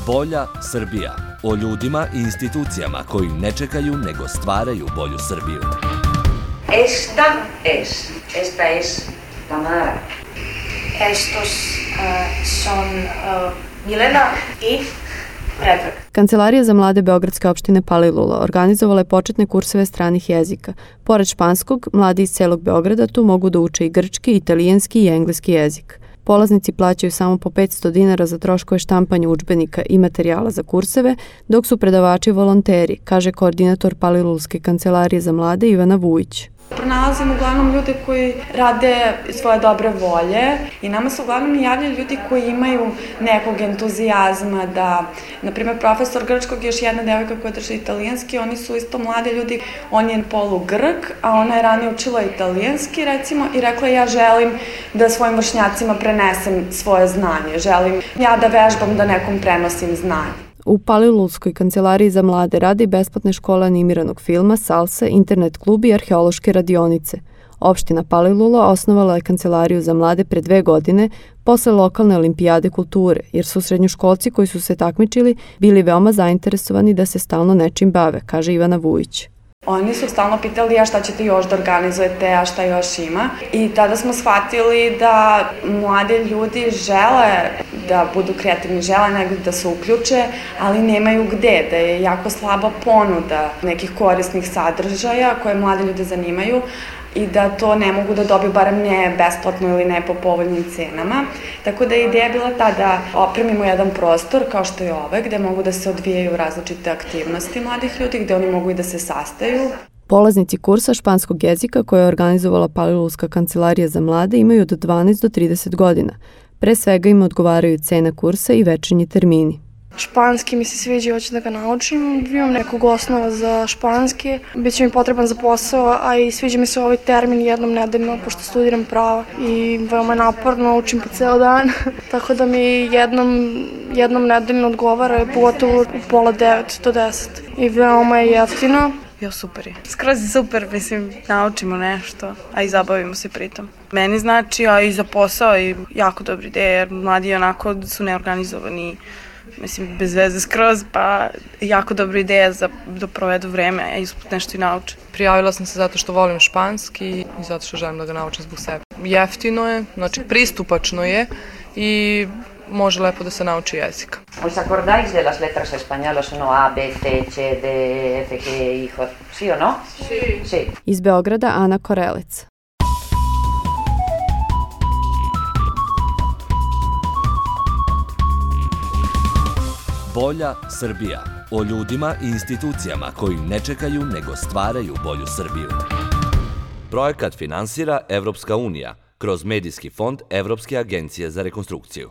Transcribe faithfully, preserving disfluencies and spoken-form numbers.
Bolja Srbija. O ljudima i institucijama koji ne čekaju nego stvaraju bolju Srbiju. Esta es, esta es Tamara. Estos uh, son uh, Milena i Predrag. Kancelarija za mlade Beogradske opštine Palilula organizovala je početne kurseve stranih jezika. Pored španskog, mladi iz celog Beograda tu mogu da uče i grčki, italijanski i engleski jezik. Polaznici plaćaju samo po petsto dinara za troškove štampanja udžbenika i materijala za kurseve, dok su predavači volonteri, kaže koordinator Palilulske kancelarije za mlade Ivana Vujić. Pronalazimo uglavnom ljude koji rade svoje dobre volje i nama se uglavnom javljaju ljudi koji imaju nekog entuzijazma da, na primjer, profesor grčkog je još jedna devojka koja drži italijanski, oni su isto mlade ljudi, on je polu Grk, a ona je ranije učila italijanski, recimo, i rekla ja želim da svojim vršnjacima prenesem svoje znanje, želim ja da vežbam da nekom prenosim znanje. U Palilulskoj kancelariji za mlade radi besplatne škole animiranog filma, salsa, internet klub i arheološke radionice. Opština Palilula osnovala je kancelariju za mlade pre dve godine posle lokalne olimpijade kulture, jer su srednjoškolci koji su se takmičili bili veoma zainteresovani da se stalno nečim bave, kaže Ivana Vujić. Oni su stalno pitali a šta ćete još da organizujete, a šta još ima. I tada smo shvatili da mlade ljudi žele da budu kreativni, žele negdje da se uključe, ali nemaju gde, da je jako slaba ponuda nekih korisnih sadržaja koje mlade ljude zanimaju i da to ne mogu da dobiju, barem ne besplatno ili ne po povoljnim cenama. Tako da je ideja bila ta da opremimo jedan prostor kao što je ovaj, gde mogu da se odvijaju različite aktivnosti mladih ljudi, gde oni mogu i da se sastaju. Polaznici kursa španskog jezika koje je organizovala Palilulska kancelarija za mlade imaju od dvanaest do trideset godina. Pre svega im odgovaraju cena kursa i večernji termini. Španski mi se sviđa i hoću da ga naučim. Imam nekog osnova za španski. Biće mi potreban za posao, a i sviđa mi se ovaj termin jednom nedeljno, pošto studiram prava i veoma naporno, učim po ceo dan. Tako da mi jednom, jednom nedeljno odgovara, pogotovo u pola devet do deset. I veoma je jeftino. Jo, super je. Skroz je super, mislim, naučimo nešto, a i zabavimo se pritom. Meni znači, a i za posao i jako dobra ideja, jer mladi onako su neorganizovani, mislim, bez veze skroz, pa jako dobra ideja za da provedu vreme, a ispod nešto i nauče. Prijavila sam se zato što volim španski i zato što želim da ga naučim zbog sebe. Jeftino je, znači pristupačno je i može lepo da se nauči jezik. ¿Os acordáis de las letras españolas, no? A, B, C, C, D, F, G, I, J, sí o no? Sí. Sí. Iz Beograda Ana Korelec. Bolja Srbija. O ljudima i institucijama koji ne čekaju nego stvaraju bolju Srbiju. Projekat finansira Evropska unija kroz Medijski fond Evropske agencije za rekonstrukciju.